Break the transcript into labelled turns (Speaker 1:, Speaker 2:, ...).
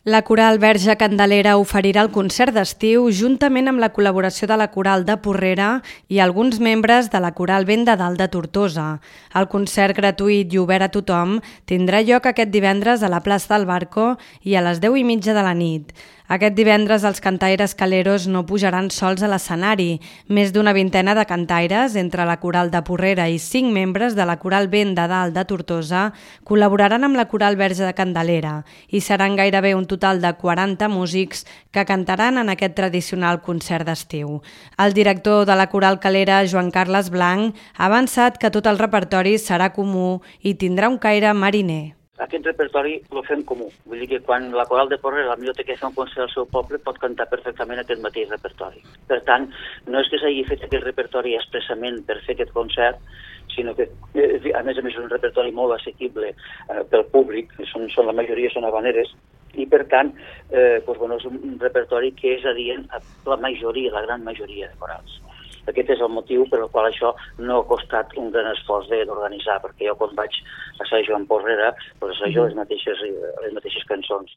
Speaker 1: La Coral Verge Candelera oferirà el concert d'estiu juntament amb la col·laboració de la Coral de Porrera i alguns membres de la Coral Vent de Dalt de Tortosa. El concert gratuït i obert a tothom tindrà lloc aquest divendres a la plaça del Barco i a les 10:30 de la nit. Aquest divendres els cantaires caleros no pujaran sols a l'escenari. Més d'una vintena de cantaires, entre la Coral de Porrera i 5 membres de la Coral Vent de Dalt de Tortosa, col·laboraran amb la Coral Verge de Candelera i seran gairebé un total de 40 músics que cantaran en aquest tradicional concert d'estiu. El director de la Coral Calera, Joan Carles Blanc, ha avançat que tot el repertori serà comú i tindrà un caire mariner.
Speaker 2: Aquest repertori el fem comú. Vull dir que quan la Coral de Porrera, la millor que fa un concert al seu poble, pot cantar perfectament aquest mateix repertori. Per tant, no és que s'hagi fet aquest repertori expressament per fer aquest concert, sinó que, a més és un repertori molt assequible pel públic, la majoria són habaneres, i per tant és un repertori que és adient a la majoria, la gran majoria de corals. Aquest és el motiu per al qual això no ha costat un gran esforç d'organitzar, perquè jo quan vaig assajar amb Porrera, assajo les mateixes cançons.